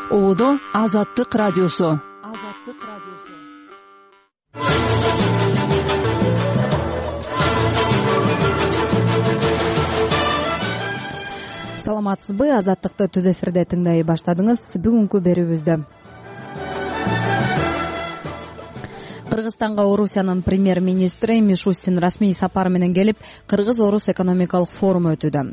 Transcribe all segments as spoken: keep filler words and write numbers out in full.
Оодо Азаттык радиосу. Азаттык радиосу. Саламатсызбы? Азаттыкты түз эфирде тыңдай баштадыңыз. Бүгүнкү берүүбүздө Кыргызстанга Орусиянын премьер-министри Мишустин расмий сапар менен келип, Кыргыз-Орус экономикалык форуму өтүүдө.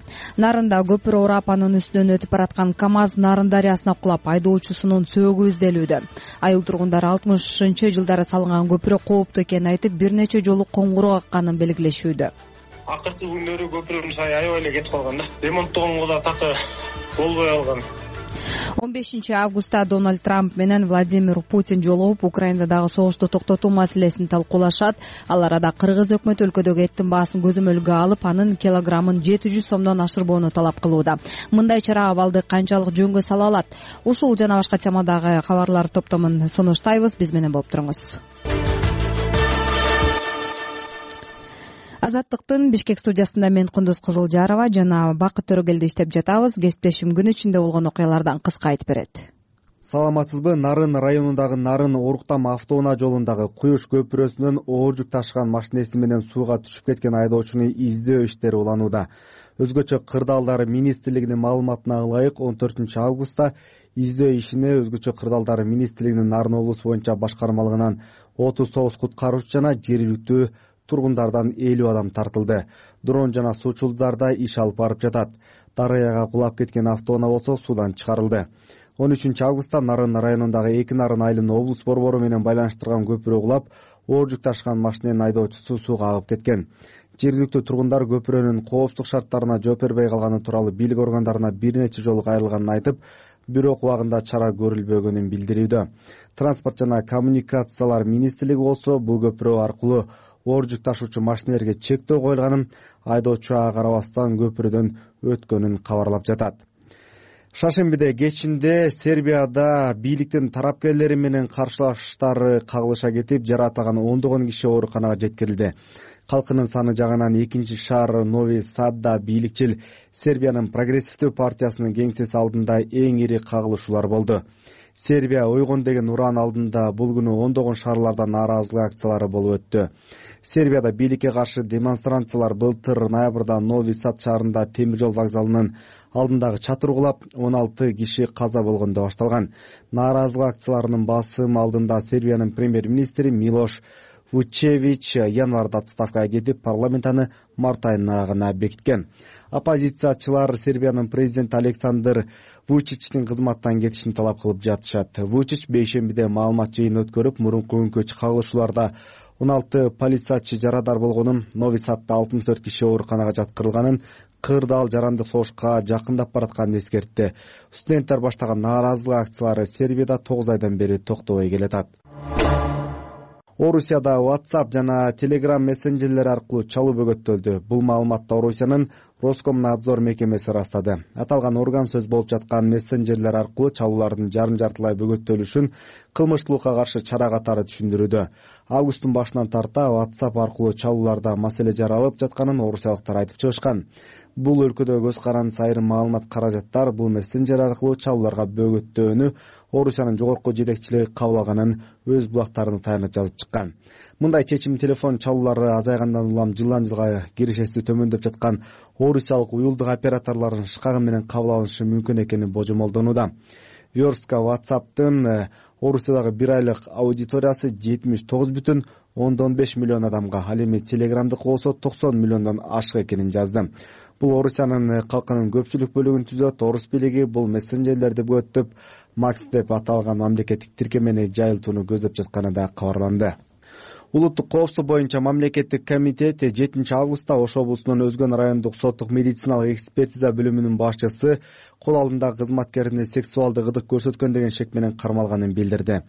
Нарында көпүр орап, анын үстүнөн өтүп бараткан КАМАЗ Нарын дарыясына кулап, айдоочусунун сөөгү изделүүдө. Айыл тургундары алтымышынчы жылдары салынган көпүрө кооптуу экенин айтып, бир нече жолу коңгуроо какканын белгилешүүдө. Акыркы күндөрү көпүрдүн сайы аябай эле кетип калган да. Ремонттогонго да такы болбой калган. он бешинчи августта Дональд Трамп менен Владимир Путин жолугуп, Украинадагы согушту токтотуу маселесин талкуулашат. Ал арада Кыргыз өкмөтү өлкөдөгү эттин баасын көзөмөлгө алып, анын килограммын жети жүз сомдон ашырбоону талап кылууда. Мындай чара абалды канчалык жөнгө сала алат? Ушул жана башка темадагы кабарлар топтомун сунуштайбыз. Биз менен болуп туруңуз. Азаттыктын Бишкек студиясында мен Кундуз Кызылжарова жана Бакыт Төрөгелди иштеп жатабыз. Кесиптешим күн ичинде болгон окуялардан кыска айтып берет. Саламатсызбы? Нарын районундагы Нарын Оруктам автоунаа жолундагы Куюш көпүрөсүнөн оор жүк ташыган машинеси менен сууга түшүп кеткен айдоочуну издөө иштери уланууда. Өзгөчө кырдаалдар министрлигинин маалыматына ылайык он төртүнчү августта издөө ишине Өзгөчө кырдаалдар министрлигинин Нарын облусу боюнча башкармалыгынан отуз тогуз куткаруучу жана жергиликтүү тургундардан элүү адам тартылды. Дрон жана суучулдарда иш алып барып жатат. Дарыяга кулап кеткен автоунаа болсо суудан чыгарылды. он үчүнчү августта Нарын районундагы Эки Нарын айылын облус борбору менен байланыштырган көпүрө кулап, оор жүк ташыган машиненин айдоочусу сууга агып кеткен. Жергиликтүү тургундар көпүрөнүн коопсуздук шарттарына жооп бербей калганы тууралуу бийлик органдарына бир нече жолу кайрылганын айтып, бирок убагында чара көрүлбөгөнүн билдирүүдө. Транспорт жана коммуникациялар министрлиги болсо бул көпүрө аркылуу оор жүк ташуучу машинелерге чектөө коюлганын, айдоочу ага карабастан көпүрөдөн өткөнүн кабарлап жатат. Шаршембиде кечинде Сербияда бийликтин тарапкерлери менен каршылаштар кагылыша кетип, жаракат ондогон киши ооруканага жеткирилди. Калкынын саны жагынан экинчи шаар Нови Садда бийликчил Сербиянын прогрессивдүү партиясынын кеңсеси алдында эң ири кагылышуулар болду. Сербия ойгон деген уран алдында бул күнү ондогон шаарларда нааразылык акциялары болуп өттү. Сербияда бийликке каршы демонстрациялар былтыр ноябрда Нови Сад шаарында темир жол вокзалынын алдындагы чатыр кулап, он алты киши каза болгондо башталган. Нааразылык акцияларынын басым алдында Сербиянын премьер-министри Милош Вучевич январда отставкага кетип, парламент аны март айына гана бекиткен. Оппозициячылар Сербиянын президенти Александр Вучичтин кызматтан кетишин талап кылып жатышат. Вучич бейшембиде маалымат жыйын өткөрүп, мурунку күнгө кагылышууларда он алты полициячы жарадар болгонун, Нови Садда алтымыш төрт киши ооруканага жаткырылганын, кырдаал жарандык согушка жакындап баратканын эскертти. Студенттер баштаган нааразылык акциялары Сербияда тогуз айдан бери токтобой келатат. Орусияда WhatsApp жана Telegram мессенджерлери аркылуу чалуу бөгөттөлдү. Бул маалыматты Орусиянын Роскомнадзор мекемеси ырастады. Аталган орган сөз болуп жаткан мессенджерлер аркылуу чалуулардын жарым-жартылай бөгөттөлүшүн кылмыштуулукка каршы чара катары түшүндүрүүдө. Августтун башынан тарта WhatsApp аркылуу чалууларда маселе жаралып жатканын орусиялыктар айтып чыгышкан. Бул өлкөдө көз карандысы айрым маалымат каражаттар бул мессенджер аркылуу чалууларга бөгөттөөнү Орусиянын жогорку жетекчилиги кабыл алганын өз булактарына таянып жазып чыккан. Мындай чечим телефон чалуулары азайгандан улам жылдан жылга киришеси төмөндөп жаткан орусиялык уюлдук операторлордун шкагы менен кабыл алынышы мүмкүн экени божомолдонууда. Верстка WhatsApp'тын Орусиядагы бир айлык аудиториясы жетимиш тогуз бүтүн ондон беш миллион адамга, ал эми Telegram'дыкы болсо токсон миллиондон ашык экенин жазды. Бул Орусиянын калкынын көпчүлүк бөлүгүн түзөт. Орус бийлиги бул мессенджерлерди бөгөттөп, Макс деп аталган мамлекеттик тиркемени жайылтууну көздөп жатканы да кабарланды. Улуттук коопсуздук боюнча мамлекеттик комитет жетинчи августта Ош облусунун Өзгөн райондук соттук медициналык экспертиза бөлүмүнүн башчысы кол алдындагы кызматкерине сексуалдык ыдык көрсөткөн деген шек менен кармалганын билдирди.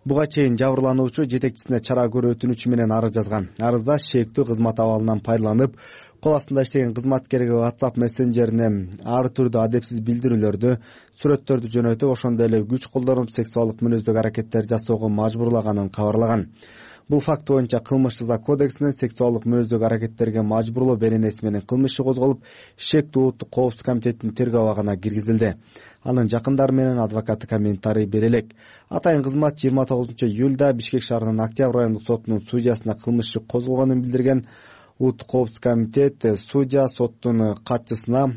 Буга чейин жабырлануучу жетекчисине чара көрүү өтүнүчү менен арыз жазган. Арызда шектүү кызмат абалынан пайдаланып, кол астында иштеген кызматкерге WhatsApp мессенджерине ар түрдүү адепсиз билдирүүлөрдү, сүрөттөрдү жөнөтүп, ошондой эле күч колдонуп, сексуалдык мүнөздөгү аракеттер жасоого мажбурлаганын кабарлаган. Бул факт боюнча кылмыш жаза кодексинин сексуалдык мүнөздөгү аракеттерге мажбурлоо беренеси менен кылмыш иши козголуп, шектүү улуттук коопсуздук комитетинин тергөө абагына киргизилди. Анын жакындары менен адвокаты комментарий бере элек. Атайын кызмат жыйырма тогузунчу июлда Бишкек шаарынын Октябрь райондук сотунун судьясына кылмыш иши козголгонун билдирген. Улуттук коопсуздук комитет судья соттун катчысына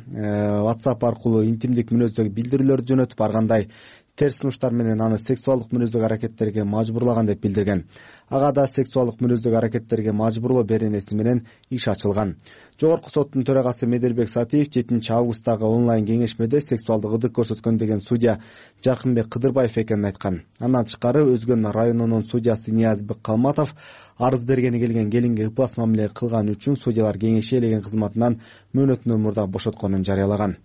WhatsApp аркылуу интимдик мүнөздөгү билдирүүлөрдү жөнөтүп, ар кандай терс сунуштар менен аны сексуалдык мүнөздөгү аракеттерге мажбурлаган деп билдирген. Ага да сексуалдык мүнөздөгү аракеттерге мажбурлоо беренеси менен иш ачылган. Жогорку соттун төрагасы Меделбек Сатиев жетинчи августтагы онлайн кеңешмеде сексуалдык ыдык көрсөткөн деген судья Жаркынбек Кыдырбаев экенин айткан. Андан тышкары Өзгөн районунун судьясы Ниязбек Калматов арыз бергени келген келинге ыплас мамиле кылган үчүн судьялар кеңеши ээлеген кызматынан мөөнөтүнөн мурда бошотконун жарыялаган.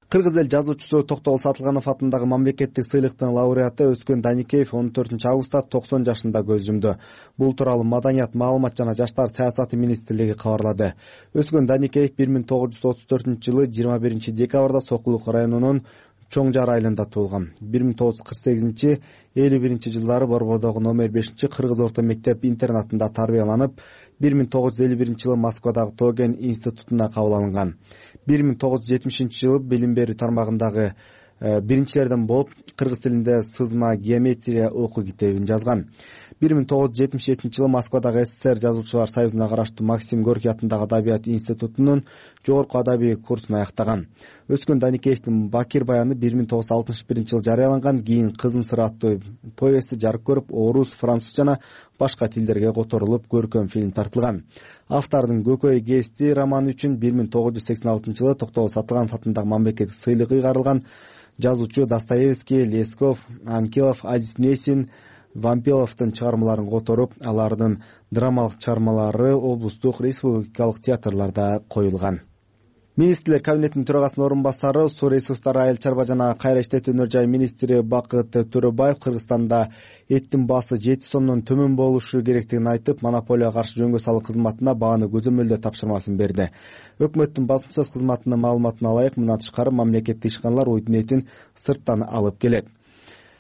Кыргыз эл жазуучусу Токтогул Сатылганов атындагы мамлекеттик сыйлыктын лауреаты Өзгөн Даникеев он төртүнчү августта токсон жашында көз жумду. Бул тууралуу Маданият, маалымат жана жаштар саясаты министрлиги кабарлады. Өзгөн Даникеев бир миң тогуз жүз отуз төртүнчү жылы жыйырма биринчи декабрда Сокулук районунун Чоң Жар айылында туулган. бир миң тогуз жүз кырк сегизинчи элүү биринчи жылдары Борбордогу номер бешинчи Кыргыз орто мектеп интернатында тарбияланып, бир миң тогуз жүз элүү биринчи жылы Москвадагы Тоген институтуна кабыл алынган. бир миң тогуз жүз жетимишинчи жылы билим берүү тармагындагы биринчилерден болуп, кыргыз тилинде сызма геометрия окуу китебин жазган. бир миң тогуз жүз жетимиш жетинчи жылы Москвадагы СССР жазуучулар союзуна караштуу Максим Горький атындагы Адабият институтунун жогорку адабий курсун аяктаган. Өзгөн Даникеевдин Бакир баяны бир миң тогуз жүз алтымыш биринчи жылы жарыяланган. Кийин Кызым сыры аттуу повести жарык көрүп, орус, француз жана башка тилдерге которулуп, көркөм фильм тартылган. Автордун Көкөй Гести романы үчүн бир миң тогуз жүз сексен алтынчы жылы Токтогул Сатылганов атындагы мамлекеттик сыйлык ыйгарылган. Жазуучу Достоевский, Лесков, Анкилов, Азиз Несин, Вампиловдун чыгармаларын которуп, алардын драмалык чыгармалары облустук, республикалык театрларда коюлган. Министрлер кабинетинин төрагасынын орун басары, суу ресурстары, айыл чарба жана кайра иштетүү өнөр жай министри Бакыт Төрөбаев Кыргызстанда эттин баасы жети сомдон төмөн болушу керектигин айтып, монополияга каршы жөнгө салуу кызматына бааны көзөмөлдөө тапшырмасын берди. Өкмөттүн басым сөз кызматынын маалыматына ылайык, мындан тышкары мамлекеттик ишканалар уйдун этин сырттан алып келет.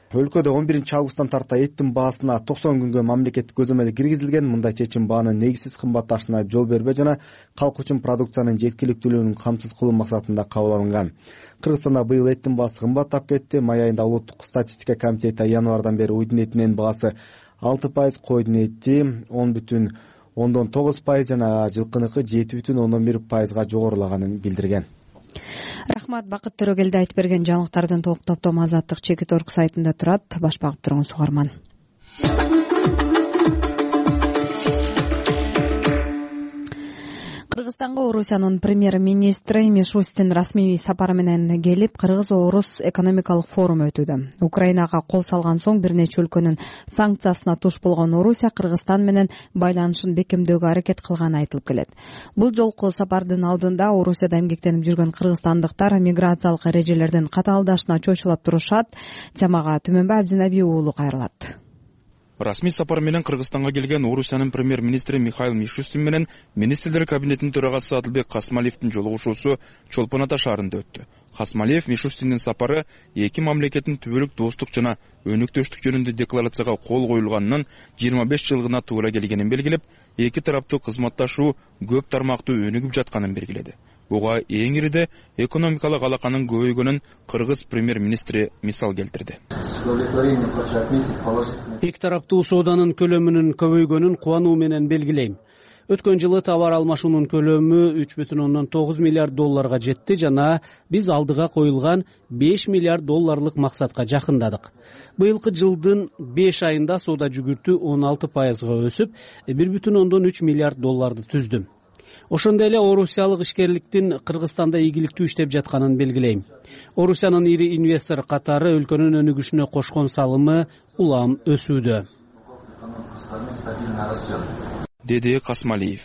Өлкөдө он биринчи августтан тарта эттин баасына токсон күнгө мамлекеттик көзөмөл киргизилген. Мындай чечим баанын негизсиз кымбатташына жол бербей жана калк үчүн продукциянын жеткиликтүүлүгүн камсыз кылуу максатында кабыл алынган. Кыргызстанда быйыл эттин баасы кымбаттап кетти. Май айында улуттук статистика комитети январдан бери уйдун этинин баасы алты пайыз, койдун эти он бүтүн ондон тогуз пайыз жана жылкыныкы жети бүтүн ондон бир пайызга жогорулаганын билдирген. Рахмат, Бакыт Төрөгелди айтып берген жаңылыктардын толук топтому Азаттык Чекит Орг сайтында турат. Баш багып туруңуз угарман. Кыргызстанга Орусиянын премьер-министри Мишустин расмий сапары менен келип, Кыргыз-Орус экономикалык форум өтүүдө. Украинага кол салган соң бир нече өлкөнүн санкциясына туш болгон Орусия Кыргызстан менен байланышын бекемдөөгө аракет кылганы айтылып келет. Бул жолку сапардын алдында Орусияда эмгектенип жүргөн кыргызстандыктар миграциялык эрежелердин катаалдашына чочулап турушат. Темага Түмөнбай Абдинаби уулу кайрылат. Расмий сапар менен Кыргызстанга келген Орусиянын премьер-министри Михаил Мишустин менен министрлер кабинетинин төрагасы Адылбек Касмалиевдин жолугушуусу Чолпон Ата шаарында өттү. Касмалиев Мишустиндин сапары эки мамлекеттин түбөлүк достук жана өнүктөштүк жөнүндө декларацияга кол коюлганынан жыйырма беш жылгына туура келгенин белгилеп, эки тараптуу кызматташуу көп тармактуу өнүгүп жатканын белгиледи. Буга эң ириде экономикалык алаканын көбөйгөнүн кыргыз премьер-министри мисал келтирди. Эки тараптуу сооданын көлөмүнүн көбөйгөнүн кубануу менен белгилейм. Өткөн жылы товар алмашуунун көлөмү үч бүтүн ондон тогуз миллиард долларга жетти жана биз алдыга коюлган беш миллиард долларлык максатка жакындадык. Быйылкы жылдын беш айында соода жүгүртүү он алты пайызга өсүп, бир бүтүн ондон үч миллиард долларды түздү. Ошондой эле орусиялык ишкерликтин Кыргызстанда ийгиликтүү иштеп жатканын белгилейм. Орусиянын ири инвестор катары өлкөнүн өнүгүшүнө кошкон салымы улам өсүүдө, деди Касмалиев.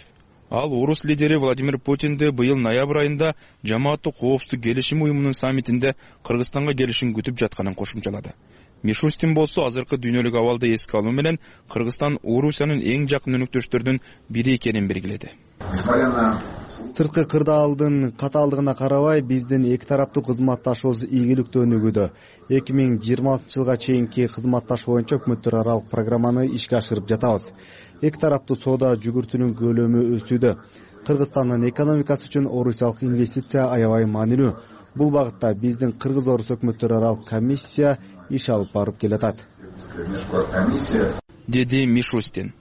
Ал орус лидери Владимир Путинди быйыл ноябрь айында жамааттык коопсуздук келишим уюмунун саммитинде Кыргызстанга келишин күтүп жатканын кошумчалады. Мишустин болсо азыркы дүйнөлүк абалды эске алуу менен Кыргызстан Орусиянын эң жакын өнөктөштөрүнүн бири экенин белгиледи. Сырткы кырдаалдын катаалдыгына карабай биздин эки тараптуу кызматташуубуз ийгиликтүү өнүгүүдө. эки миң жыйырма алтынчы жылга чейинки кызматташуу боюнча өкмөттөр аралык программаны ишке ашырып жатабыз. Эки тараптуу соода жүгүртүүнүн көлөмү өсүүдө. Кыргызстандын экономикасы үчүн орусиялык инвестиция аябай маанилүү. Бул багытта биздин кыргыз-орус өкмөттөр аралык комиссия иш алып барып келатат, деди Мишустин.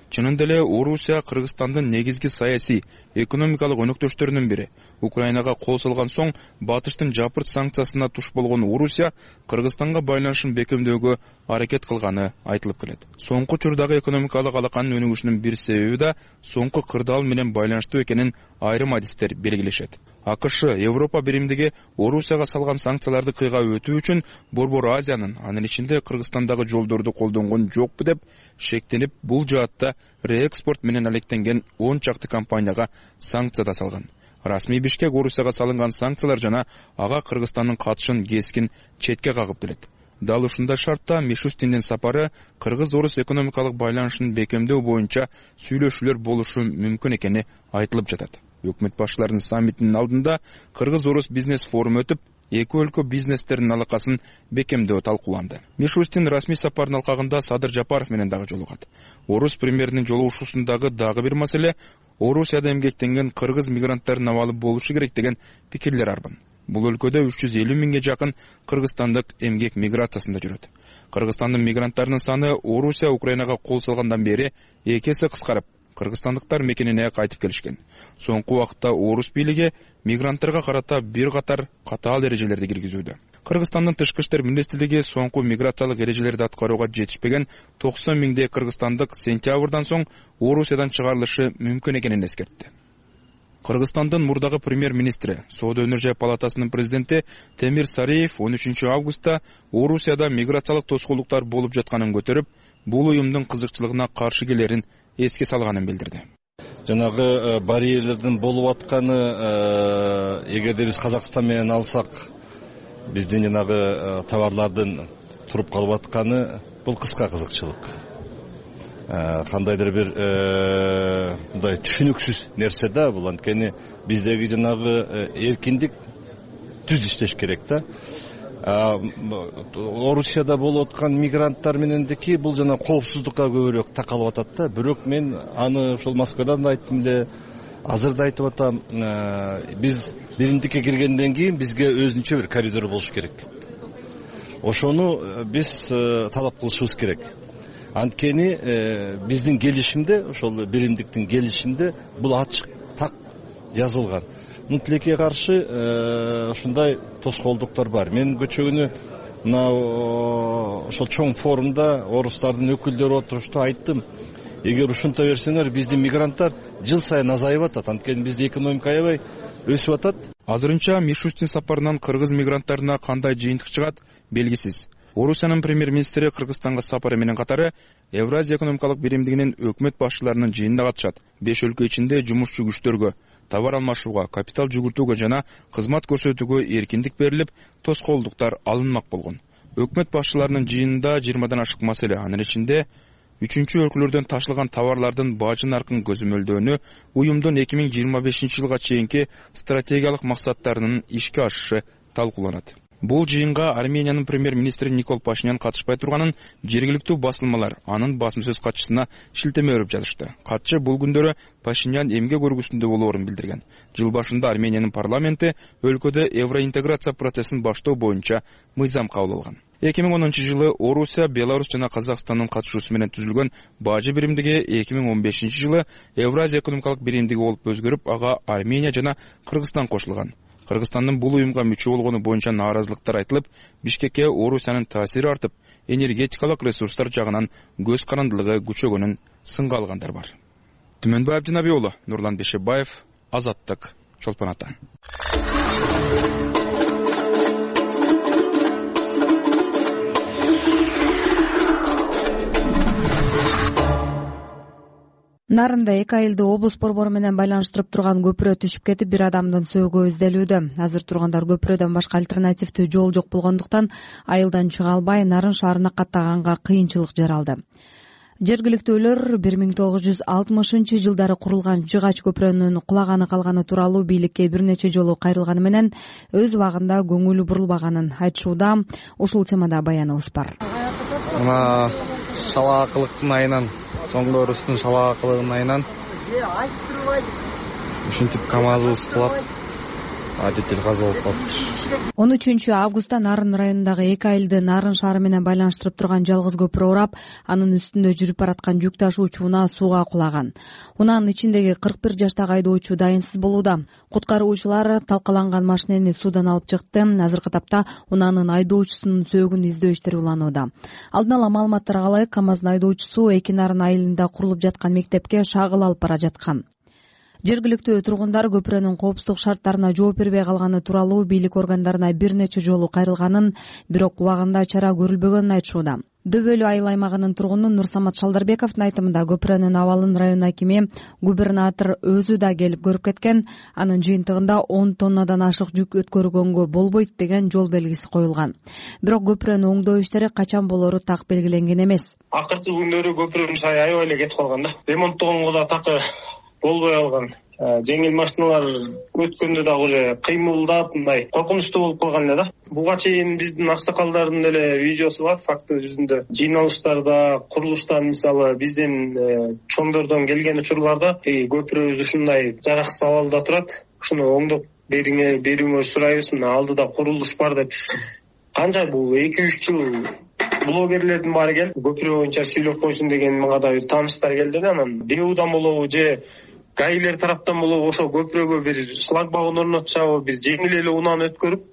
Чынында эле Орусия Кыргызстандын негизги саясий, экономикалык өнөктөштөрүнүн бири. Украинага кол салган соң батыштын жапырт санкциясына туш болгон Орусия Кыргызстанга байланышын бекемдөөгө аракет кылганы айтылып келет. Соңку учурдагы экономикалык алаканын өнүгүшүнүн бир себеби да соңку кырдаал менен байланыштуу экенин айрым адистер белгилешет. АКШ, Европа биримдиги Орусияга салган санкцияларды кыйга өтүү үчүн Борбор Азиянын, анын ичинде Кыргызстандагы жолдорду колдонгон жокпу деп шектенип, бул жаатта реэкспорт менен алектенген он чакты компанияга санкция да салган. Расмий Бишкек Орусияга салынган санкциялар жана ага Кыргызстандын катышын кескин четке кагып келет. Дал ушундай шартта Мишустиндин сапары кыргыз-орус экономикалык байланышын бекемдөө боюнча сүйлөшүүлөр болушу мүмкүн экени айтылып жатат. Өкмөт башчыларынын саммитинин алдында кыргыз-орус бизнес форуму өтүп, эки өлкө бизнестеринин алакасын бекемдөө талкууланды. Мишустин расмий сапардын алкагында Садыр Жапаров менен дагы жолугат. Орус премьеринин жолугушуусундагы дагы бир маселе Орусияда эмгектенген кыргыз мигранттардын абалы болушу керек деген пикирлер арбын. Бул өлкөдө үч жүз элүү миңге жакын кыргызстандык эмгек миграциясында жүрөт. Кыргызстандын мигранттарынын саны Орусия Украинага кол салгандан бери эки эсе кыскарып, кыргызстандыктар мекенине кайтып келишкен. Соңку убакытта орус бийлиги мигранттарга карата бир катар катаал эрежелерди киргизүүдө. Кыргызстандын тышкы иштер министрлиги соңку миграциялык эрежелерди аткарууга жетишпеген токсон миңдей кыргызстандык сентябрдан соң Орусиядан чыгарылышы мүмкүн экенин эскертти. Кыргызстандын мурдагы премьер-министри, Соода өнөр жай палатасынын президенти Темир Сариев он үчүнчү августта Орусияда миграциялык тоскоолдуктар болуп жатканын көтөрүп, бул уюмдун кызыкчылыгына каршы келерин эске салганын билдирди. Жанагы барьерлердин болуп атканы, эгерде биз Казакстан менен алсак, биздин жанагы товарлардын туруп калып атканы бул кыска кызыкчылык. Кандайдыр бир мындай түшүнүксүз нерсе да бул. Анткени биздеги жанагы эркиндик түз иштеш керек да. Орусияда болуп аткан мигранттар менендики бул жана коопсуздукка көбүрөөк такалып атат да. Бирок мен аны ошол Москвадан да айттым эле, азыр да айтып атам. Биз биримдикке киргенден кийин бизге өзүнчө бир коридор болуш керек. Ошону биз талап кылышыбыз керек. Анткени биздин келишимде, ошол биримдиктин келишимде бул ачык так жазылган. Мун тилекке каршы ушундай тоскоолдуктар бар. Мен көчөгүнү мына ошол чоң форумда орустардын өкүлдөрү отурушту айттым. Эгер ушунта берсеңер, биздин мигранттар жыл сайын азайып атат. Анткени биздин экономика аябай өсүп атат. Азырынча Мишустин сапарынан кыргыз мигранттарына кандай жыйынтык чыгат белгисиз. Орусиянын премьер-министри Кыргызстанга сапары менен катары Евразия экономикалык биримдигинин өкмөт башчыларынын жыйынына катышат. Беш өлкө ичинде жумушчу күчтөргө, товар алмашууга, капитал жүгүртүүгө жана кызмат көрсөтүүгө эркиндик берилип, тоскоолдуктар алынмак болгон. Өкмөт башчыларынын жыйынында жыйырмадан ашык маселе, анын ичинде үчүнчү өлкөлөрдөн ташылган товарлардын бажы наркын көзөмөлдөөнү, уюмдун эки миң жыйырма бешинчи жылга чейинки стратегиялык максаттарынын ишке ашышы талкууланат. Бул жыйынга Армениянын премьер-министри Никол Пашинян катышпай турганын жергиликтүү басылмалар анын басма сөз катчысына шилтеме берип жазышты. Катчы бул күндөрү Пашинян эмгек өргүсүндө болоорун билдирген. Жыл башында Армениянын парламенти өлкөдө евроинтеграция процессин баштоо боюнча мыйзам кабыл алган. эки миң онунчу жылы Орусия, Беларусь жана Казакстандын катышуусу менен түзүлгөн бажы биримдиги эки миң он бешинчи жылы Евразия экономикалык биримдиги болуп өзгөрүп, ага Армения жана Кыргызстан кошулган. Кыргызстандын бул уюмга мүчө болгону боюнча нааразылыктар айтылып, Бишкекке Орусиянын таасири артып, энергетикалык ресурстар жагынан көз карандылыгы күчөгөнүн сынга алгандар бар. Түмөнбай Абдинаби уулу, Нурлан Бешебаев, Азаттык, Чолпон Ата. Нарында эки айылды облус борбору менен байланыштырып турган көпүрө түшүп кетип, бир адамдын сөөгү изделүүдө. Азыр тургандар көпүрөдөн башка альтернативдүү жол жок болгондуктан айылдан чыга албай, Нарын шаарына каттаганга кыйынчылык жаралды. Жергиликтүүлөр бир миң тогуз жүз алтымышынчы жылдары курулган жыгач көпүрөнүн кулаганы калганы тууралуу бийликке бир нече жолу кайрылганы менен өз убагында көңүлү бурулбаганын айтышууда. Ушул темада баяныбыз бар. Мына шалаакылыктын айынан, чоңдорустун шалаакылыгынын айынан ушинтип КамАЗыбыз кулап, водитель каза болуп калыптыр. он үчүнчү августта Нарын районундагы эки айылды Нарын шаары менен байланыштырып турган жалгыз көпүрө урап, анын үстүндө жүрүп бараткан жүк ташуучу унаа сууга кулаган. Унаанын ичиндеги кырк бир жаштагы айдоочу дайынсыз болууда. Куткаруучулар талкаланган машинени суудан алып чыкты. Азыркы тапта унаанын айдоочусунун сөөгүн издөө иштери уланууда. Алдын ала маалыматтарга ылайык, КамАздын айдоочусу эки Нарын айылында курулуп жаткан мектепке шагыл алып бара жаткан. Жергиликтүү тургундар көпүрөнүн коопсуздук шарттарына жооп бербей калганы тууралуу бийлик органдарына бир нече жолу кайрылганын, бирок убагында чара көрүлбөгөнүн айтышууда. Дөбөлүү айыл аймагынын тургуну Нурсамат Шалдарбековдун айтымында көпүрөнүн абалын район акими, губернатор өзү да келип көрүп кеткен. Анын жыйынтыгында он тоннадан ашык жүк өткөргөнгө болбойт деген жол белгиси коюлган. Бирок көпүрөнү оңдоо иштери качан болору так белгиленген эмес. Акыркы күндөрү көпүрөнүн сай аябай эле кетип калган да. Ремонттогонго да такы болбой калган. Жеңил машиналар өткөндө дагы уже кыймылдап, мындай коркунучтуу болуп калган эле да. Буга чейин биздин аксакалдардын деле видеосу бар, факты жүзүндө. Жыйналыштарда, курулуштан, мисалы биздин чоңдордон келген учурларда көпүрөбүз ушундай жараксыз абалда турат. Ушуну оңдоп бериңер, берүүңөрү сурайбыз. Мына алдыда курулуш бар деп. Канча бул эки үч жыл блогерлердин баары келип, көпүрө боюнча сүйлөп койсун деген мага да бир тааныштар келди да. Анан ДЭУдан болобу же гаилер тараптан болобу ошо көпүрөгө бир шлагбаун орнотушабы, бир жеңил эле унааны өткөрүп,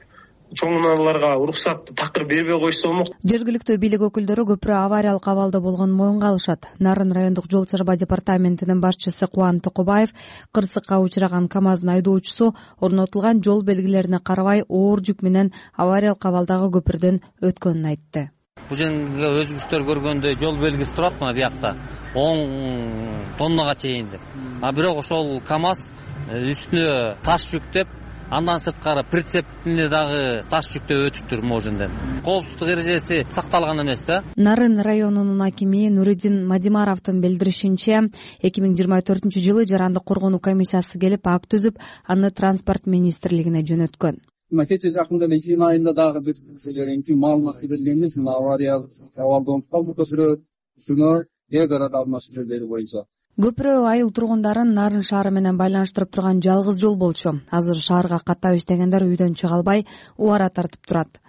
чоң унааларга уруксатты такыр бербей койсо болмок. Жергиликтүү бийлик өкүлдөрү көпүрө авариялык абалда болгонун моюнга алышат. Нарын райондук жол чарба департаментинин башчысы Кубан Токобаев кырсыкка учураган КамАздын айдоочусу орнотулган жол белгилерине карабай оор жүк менен авариялык абалдагы көпүрдөн өткөнүн айтты. Бул жерге өзүңүздөр көргөндөй жол белгиси турат мына биякта он тоннага чейин деп. А бирок ошол КамАз үстүнө таш жүктөп, андан сырткары прицептине дагы таш жүктөп өтүптүр моженден. Коопсуздук эрежеси сакталган эмес да. Нарын районунун акими Нуридин Мадимаровдун билдиришинче, эки миң жыйырма төртүнчү жылы жарандык коргонуу комиссиясы келип ак түзүп, аны транспорт министрлигине жөнөткөн. Кече жакында эле июнь айында дагы бир жереңки маалымат берилгенде, ушул авариялык абалда болуп көпүрө үстүнө тез арада алмаштыруу берүү боюнча. Көпүрө айыл тургундарын Нарын шаары менен байланыштырып турган жалгыз жол болчу. Азыр шаарга каттап иштегендер үйдөн чыга албай, убара тартып турат.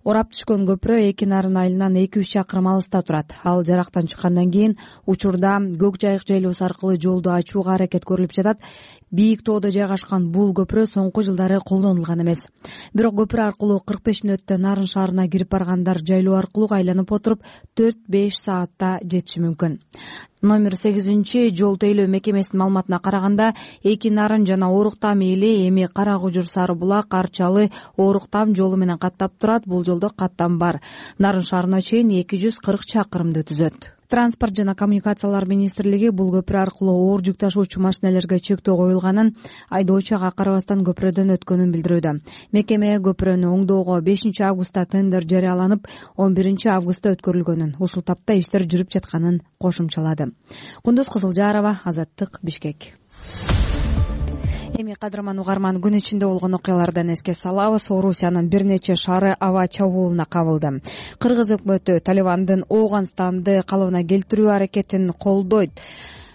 Орап түшкөн көпүрө эки Нарын айылынан эки үч чакырым алыста турат. Ал жарактан чыккандан кийин учурда Көк Жайык жайлоосу аркылуу жолду ачууга аракет көрүлүп жатат. Бийик тоодо жайгашкан бул көпүрө соңку жылдары колдонулган эмес. Бирок көпүрө аркылуу кырк беш мүнөттө Нарын шаарына кирип баргандар жайлоо аркылуу айланып отуруп төрт беш саатта жетиши мүмкүн. Номер сегизинчи жол тейлөө мекемесинин маалыматына караганда, эки Нарын жана Оруктам эли эми Кара Кужур Сары Булак Арчалы Оруктам жолу менен каттап турат. Бул жолдо каттам бар. Нарын шаарына чейин эки жүз кырк чакырымды түзөт. Транспорт жана коммуникациялар министрлиги бул көпүрө аркылуу оор жүк ташуучу машинелерге чектөө коюлганын, айдоочуга карабастан көпүрөдөн өткөнүн билдирүүдө. Мекеме көпүрөнү оңдоого бешинчи августта тендер жарыяланып, он биринчи августта өткөрүлгөнүн, ушул тапта иштер жүрүп жатканын кошумчалады. Кундуз Кызылжарова, Азаттык, Бишкек. Эми кадырман угарман, күн ичинде болгон окуялардан эске салабыз. Орусиянын бир нече шаары аба чабуулуна кабылды. Кыргыз өкмөтү Талибандын Ооганстанды калыбына келтирүү аракетин колдойт.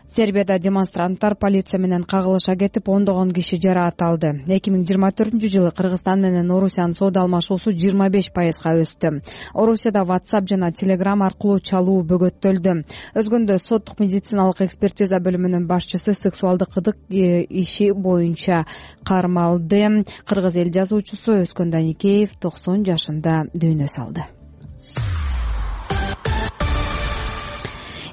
Сербияда демонстранттар полиция менен кагылыша кетип, ондогон киши жараат алды. эки миң жыйырма төртүнчү жылы Кыргызстан менен Орусиянын соода алмашуусу жыйырма беш пайызга өстү. Орусияда WhatsApp жана Telegram аркылуу чалуу бөгөттөлдү. Өзгөндө соттук медициналык экспертиза бөлүмүнүн башчысы сексуалдык ыдык иши боюнча кармалды. Кыргыз эл жазуучусу Өскөн Даникеев токсон жашында дүйнө салды.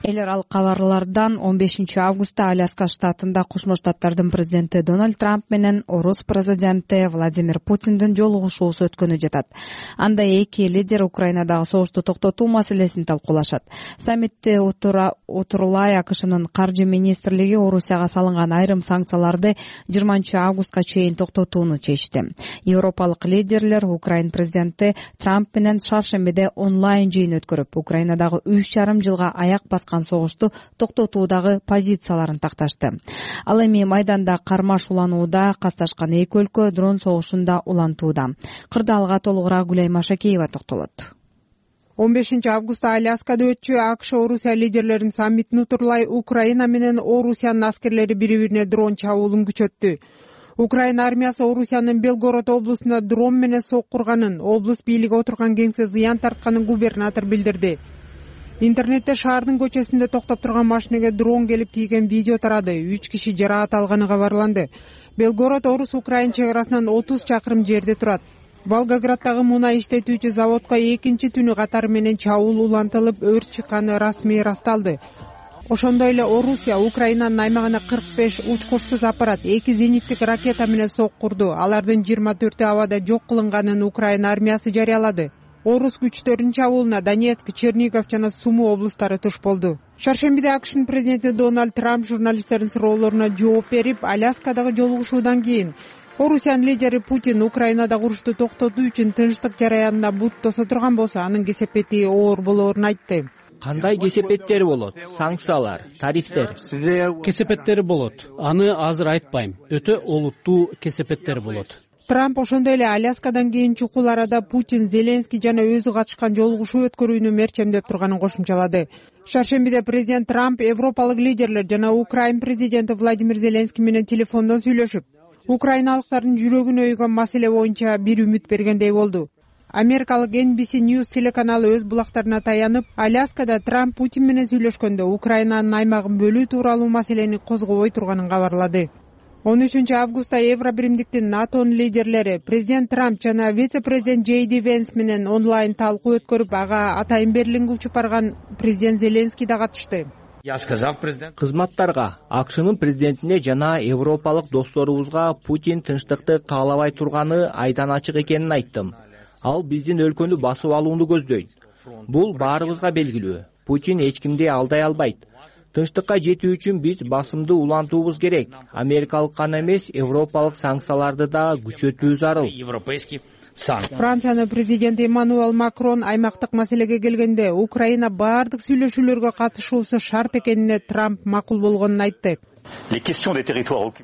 Эл аралык кабарлардан он бешинчи августта Аляска штатында Кошмо Штаттардын президенти Дональд Трамп менен орус президенти Владимир Путиндин жолугушуусу өткөнү жатат. Анда эки лидер Украинадагы согушту токтотуу маселесин талкуулашат. Саммитте отурулай АКШнын каржы министрлиги Орусияга салынган айрым санкцияларды жыйырманчы августка чейин токтотууну чечти. Европалык лидерлер Украин президенти Трамп менен шаршембиде онлайн жыйын өткөрүп, Украинадагы үч жарым жылга аяк баскан жаткан согушту токтотуудагы позицияларын такташты. Ал эми майданда кармаш уланууда касташкан эки өлкө дрон согушунда улантууда. Кырдаалга толугураак Гүлай Машакеева токтолот. он бешинчи августта Аляскада өтчү АКШ Орусия лидерлеринин саммитин утурлай Украина менен Орусиянын аскерлери бири-бирине дрон чабуулун күчөттү. Украина армиясы Орусиянын Белгород облусунда дрон менен соккурганын, облус бийлиги отурган кеңсе зыян тартканын губернатор билдирди. Интернетте шаардын көчөсүндө токтоп турган машинеге дрон келип тийген видео тарады. үч киши жараат алганы кабарланды. Белгород Орус-Украин чек арасынан отуз чакырым жерде турат. Волгограддагы мунай иштетүүчү заводко экинчи түнү катары менен чабуул улантылып, өрт чыкканы расмий ырасталды. Ошондой эле Орусия Украинанын аймагына кырк беш учкучсуз аппарат, эки зениттик ракета менен соккурду. Алардын жыйырма төртү абада жок кылынганын Украина армиясы жарыялады. Орус күчтөрүнүн чабуулуна Донецк, Чернигов жана Сумы облустары туш болду. Шаршембиде АКШнын президенти Дональд Трамп журналисттердин суроолоруна жооп берип, Аляскадагы жолугушуудан кийин Орусиянын лидери Путин Украинадагы урушту токтотуу үчүн тынчтык жараянына бут тосо турган болсо, анын кесепети оор болоорун айтты. Кандай кесепеттери болот? Санкциялар, тарифтер. Кесепеттери болот. Аны азыр айтпайм. Өтө олуттуу кесепеттери болот. Трамп ошондой эле Аляскадан кийин чукул арада Путин, Зеленский жана өзү катышкан жолугушуу өткөрүүнү мерчемдеп турганын кошумчалады. Шаршембиде президент Трамп европалык лидерлер жана Украин президенти Владимир Зеленский менен телефондон сүйлөшүп, украиналыктардын жүрөгүнө өйгөн маселе боюнча бир үмүт бергендей болду. Америкалык Эн Би Си News телеканалы өз булактарына таянып, Аляскада Трамп Путин менен сүйлөшкөндө Украинанын аймагын бөлүү тууралуу маселени козгобой турганын кабарлады. он үчүнчү августта Евробиримдиктин НАТОнун лидерлери президент Трамп жана вице-президент Джей Ди Венс менен онлайн талкуу өткөрүп, ага атайын Берлинге учуп барган президент Зеленский да катышты. Кызматтарга, АКШнын президентине жана европалык досторубузга Путин тынчтыкты каалабай турганы айдан ачык экенин айттым. Ал биздин өлкөнү басып алууну көздөйт. Бул баарыбызга белгилүү. Путин эч кимди алдай албайт. Тынчтыкка жетүү үчүн биз басымды улантуубуз керек. Америкалык гана эмес, европалык санкцияларды да күчөтүү зарыл. Франциянын президенти Эммануэл Макрон аймактык маселеге келгенде Украина баардык сүйлөшүүлөргө катышуусу шарт экенине Трамп макул болгонун айтты.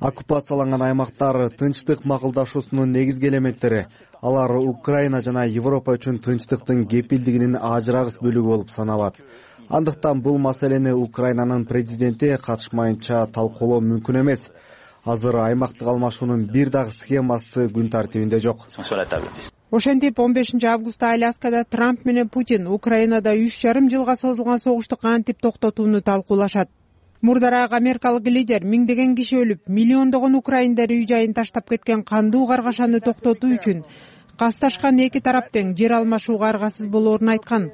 Оккупацияланган аймактар тынчтык макулдашуусунун негизги элементтери. Алар Украина жана Европа үчүн тынчтыктын кепилдигинин ажырагыс бөлүгү болуп саналат. Андыктан бул маселени Украинанын президенти катышмайынча талкуулоо мүмкүн эмес. Азыр аймактык алмашуунун бир дагы схемасы күн тартибинде жок. Ошентип он бешинчи августта Аляскада Трамп менен Путин Украинада үч жарым жылга созулган согушту кантип токтотууну талкуулашат. Мурдараак америкалык лидер миңдеген киши өлүп, миллиондогон украиндер үй жайын таштап кеткен кандуу каргашаны токтотуу үчүн касташкан эки тарап тең жер алмашууга аргасыз болоорун айткан.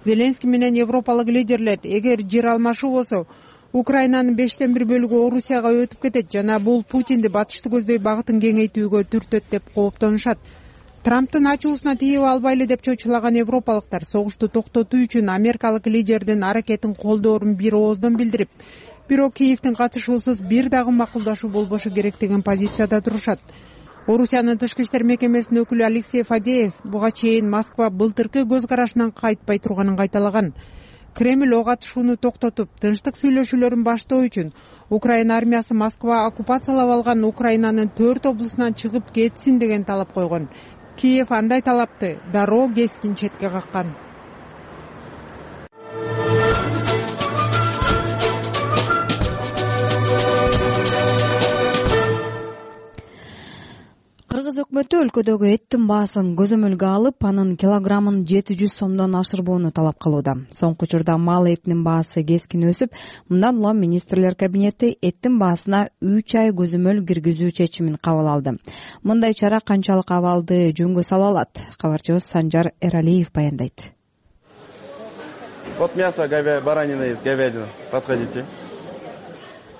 Зеленский менен европалык лидерлер эгер жер алмашуу болсо, Украинанын бештен бир бөлүгү Орусияга өтүп кетет жана бул Путинди батышты көздөй багытын кеңейтүүгө түртөт деп кооптонушат. Трамптын ачуусуна тийип албайлы деп чочулаган европалыктар согушту токтотуу үчүн америкалык лидердин аракетин колдоорун бир ооздон билдирип, бирок Киевдин катышуусуз бир дагы макулдашуу болбошу керек деген позицияда турушат. Орусиянын тышкы иштер мекемесинин өкүлү Алексей Фадеев буга чейин Москва былтыркы көз карашынан кайтпай турганын кайталаган. Кремль ок атышууну токтотуп, тынчтык сүйлөшүүлөрүн баштоо үчүн Украина армиясы Москва оккупациялап алган Украинанын төрт облусунан чыгып кетсин деген талап койгон. Киев андай талапты дароо кескин четке каккан. Кыргыз өкмөтү өлкөдөгү эттин баасын көзөмөлгө алып, анын килограммын жети жүз сомдон ашырбоону талап кылууда. Соңку учурда мал этинин баасы кескин өсүп, мындан улам министрлер кабинети эттин баасына үч ай көзөмөл киргизүү чечимин кабыл алды. Мындай чара канчалык абалды жөнгө сала алат? Кабарчыбыз Санжар Эралиев баяндайт. Вот мясо баранина есть, говядина. Подходите.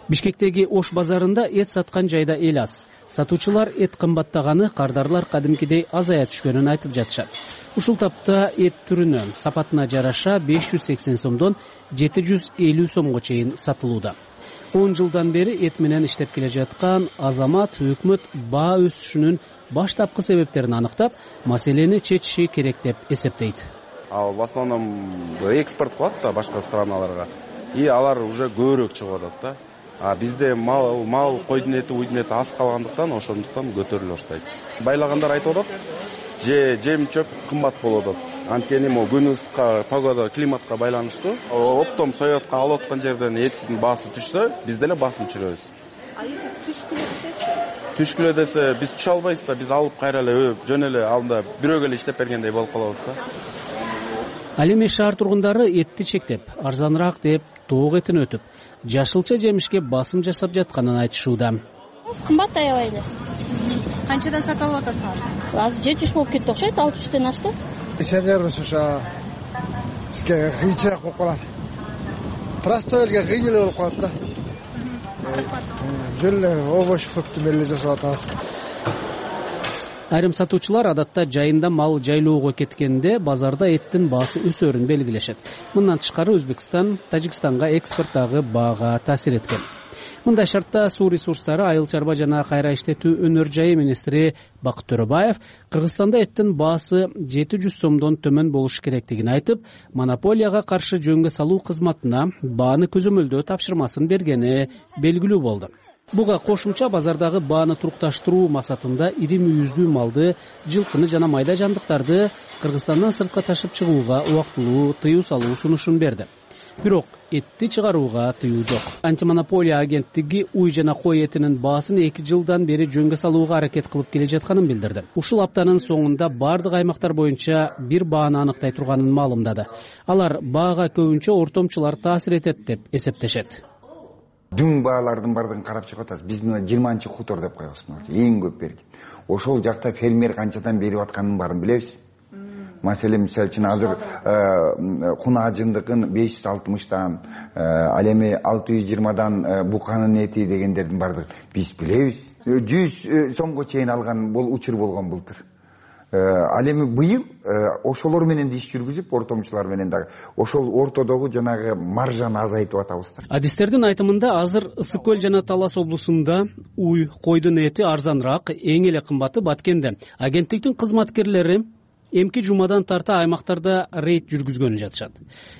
Бишкектеги Ош базарында эт саткан жайда эл аз. Сатуучулар эт кымбаттаганы, кардарлар кадимкидей азая түшкөнүн айтып жатышат. Ушул тапта эт түрүнө, сапатына жараша беш жүз сексен сомдон жети жүз элүү сомго чейин сатылууда. он жылдан бери эт менен иштеп келе жаткан Азамат өкмөт баа өсүшүнүн баштапкы себептерин аныктап, маселени чечиши керек деп эсептейт. А в основном экспорт кылат да башка страналарга. и алар уже көбүрөөк чыгып атат да. А бизде мал мал койдун эти уйдун эти аз калгандыктан ошондуктан көтөрүлө баштайт. Байлагандар айтып атат, же жем чөп кымбат болуп атат. Анткени могу күн ысыкка, погода, климатка байланыштуу. Оптом соётко алып аткан жерден эттин баасы түшсө, биз деле басым түшүрөбүз. А если түшкүлө десечи? Түшкүлө десе биз түшө албайбыз да, биз алып кайра эле жөн эле анда бирөөгө эле иштеп бергендей болуп калабыз да. Ал эми шаар тургундары этти чектеп, арзаныраак деп тоок этин өтүп, жашылча жемишке басым жасап жатканын айтышууда. Кымбат аябай эле. Канчадан сатып алып атасыңар? Азыр жети жүз болуп кетти окшойт, алты жүздөн ашты. Ишенербиз уша бизге кыйынчыраак болуп калат. Простой элге кыйын эле болуп калат да. Жөн эле овощ, фрукты менен жасап атабыз. Айрым сатуучулар адатта жайында мал жайлоого кеткенде базарда эттин баасы өсөрүн белгилешет. Мындан тышкары Өзбекстан Тажикстанга экспорттагы баага таасир эткен. Мындай шартта суу ресурстары, айыл чарба жана кайра иштетүү өнөр жайы министри Бакыт Төрөбаев Кыргызстанда эттин баасы жети жүз сомдон төмөн болуш керектигин айтып, монополияга каршы жөнгө салуу кызматына бааны көзөмөлдөө тапшырмасын бергени белгилүү болду. Буга кошумча базардагы бааны турукташтыруу максатында ири мүйүздүү малды, жылкыны жана майда жандыктарды Кыргызстандан сыртка ташып чыгууга убактылуу тыюу салуу сунушун берди. Бирок этти чыгарууга тыюу жок. Антимонополия агенттиги уй жана кой этинин баасын эки жылдан бери жөнгө салууга аракет кылып келе жатканын билдирди. Ушул аптанын соңунда бардык аймактар боюнча бир бааны аныктай турганын маалымдады. Алар баага көбүнчө ортомчулар таасир этет деп эсептешет. Дүң баалардын бардыгын карап чыгып атасыз. Биз мына жыйырманчы хутор деп коебуз. Эң көп берген. Ошол жакта фермер канчадан берип атканын баарын билебиз. Маселен, мисалы үчүн азыр куна жындыгын беш жүз алтымыштан, ал эми алты жүз жыйырмадан буканын эти дегендердин бардыгын биз билебиз. жүз сомго чейин алган бул учур болгон былтыр. Ал эми быйыл ошолор менен иш жүргүзүп, ортомчулар менен дагы ошол ортодогу жанагы маржаны азайтып атабыз. Адистердин айтымында азыр Ысык көл жана Талас облусунда уй, койдун эти арзаныраак, эң эле кымбаты Баткенде. Агенттиктин кызматкерлери эмки жумадан тарта аймактарда рейд жүргүзгөнү жатышат.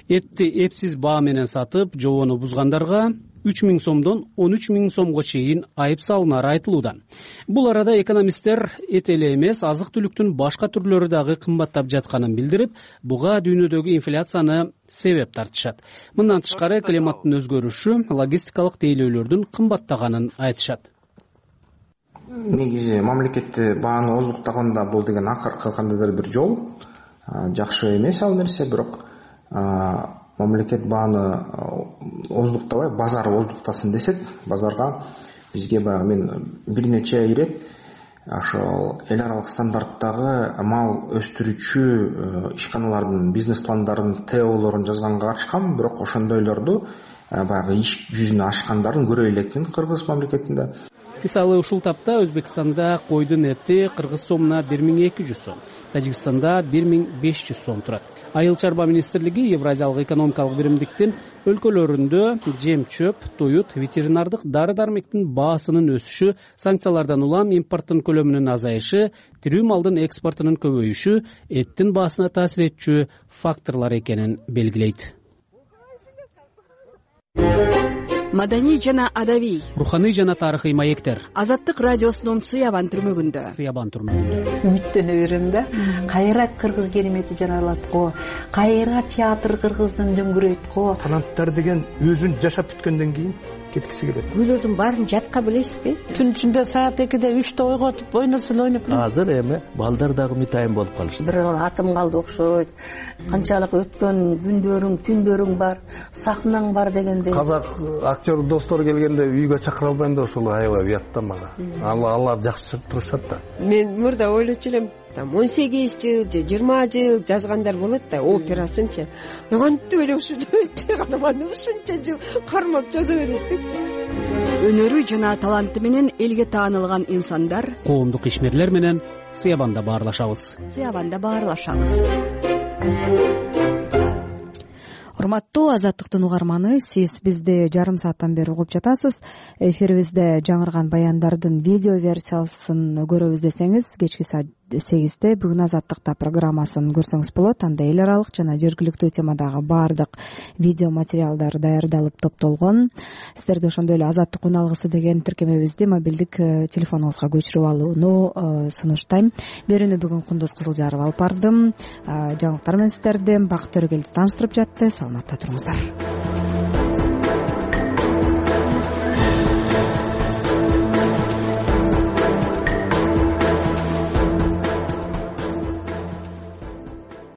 Этти эпсиз баа менен сатып, жобону бузгандарга үч миң сомдон он үч миң сомго чейин айып салынары айтылууда. Бул арада экономисттер эт эле эмес, азык-түлүктүн башка түрлөрү дагы кымбаттап жатканын билдирип, буга дүйнөдөгү инфляцияны себеп тартышат. Мындан тышкары климаттын өзгөрүшү, логистикалык тейлөөлөрдүн кымбаттаганын айтышат. Негизи мамлекетти бааны оздуктаганда бул деген акыркы кандайдыр бир жол. Жакшы эмес ал нерсе, бирок мамлекет бааны оздуктабай, базар оздуктасын десек, базарга бизге баягы мен бир нече ирет ошол эл аралык стандарттагы мал өстүрүүчү ишканалардын бизнес пландарын, теолорун жазганга катышкам, бирок ошондойлорду баягы иш жүзүнө ашкандарын көрө элекмин Кыргыз мамлекетинде. Мисалы, ушул тапта Өзбекстанда койдун эти кыргыз сомуна бир миң эки жүз сом, Тажикстанда бир миң беш жүз сом турат. Айыл чарба министрлиги Евразиялык экономикалык биримдиктин өлкөлөрүндө жем-чөп, туют, ветеринардык дары-дармектин баасынын өсүшү, санкциялардан улам импорттун көлөмүнүн азайышы, тирүү малдын экспортунун көбөйүшү эттин баасына таасир этчү факторлор экенин белгилейт. Маданий жана адабий, руханий жана тарыхый маектер. Азаттык радиосунун Сыябан түрмөгүндө. Сыябан түрмөгүндө. Үмүттөнө берем да. Кайра кыргыз керемети жаралат го. Кайра театр кыргыздын дөңгүрөйт го. Таланттар деген өзүн жашап бүткөндөн кийин кеткиси келет. Күйлөрдүн баарын жатка билесизби? Түн түндө саат экиде үчтө ойготуп ойносо эле ойноп. Азыр эми балдар дагы мытайын болуп калышты. Бир атым калды окшойт. Канчалык өткөн күндөрүң, түндөрүң бар, сахнаң бар дегендей. Казак актер достор келгенде үйгө чакыра албайм да, ошол аябай уят да мага. Алар жакшы турушат да. Мен мурда ойлочу элем, там он сегиз жыл же жыйырма жыл жазгандар болот да, операсынчы. Кантип эле ушул карманды ушунча жыл кармап жаза берет деп. Өнөрү жана таланты менен элге таанылган инсандар, коомдук ишмерлер менен Сыябанда баарлашабыз. Сыябанда баарлашабыз. Урматтуу Азаттыктын угарманы, сиз бизди жарым сааттан бери угуп жатасыз. Эфирибизде жаңырган баяндардын видео версиясын көрөбүз десеңиз, кечки саат сегизде бүгүн Азаттыкта программасын көрсөңүз болот. Анда эл аралык жана жергиликтүү темадагы баардык видео материалдар даярдалып топтолгон. Сиздерди ошондой эле Азаттык үн алгысы деген тиркемебизди мобилдик телефонуңузга көчүрүп алууну сунуштайм. Берүүнү бүгүн Кундуз Кызылжарова алып бардым. Жаңылыктар менен сиздерди Бакыт Төрөгелди тааныштырып жатты. Саламатта туруңуздар.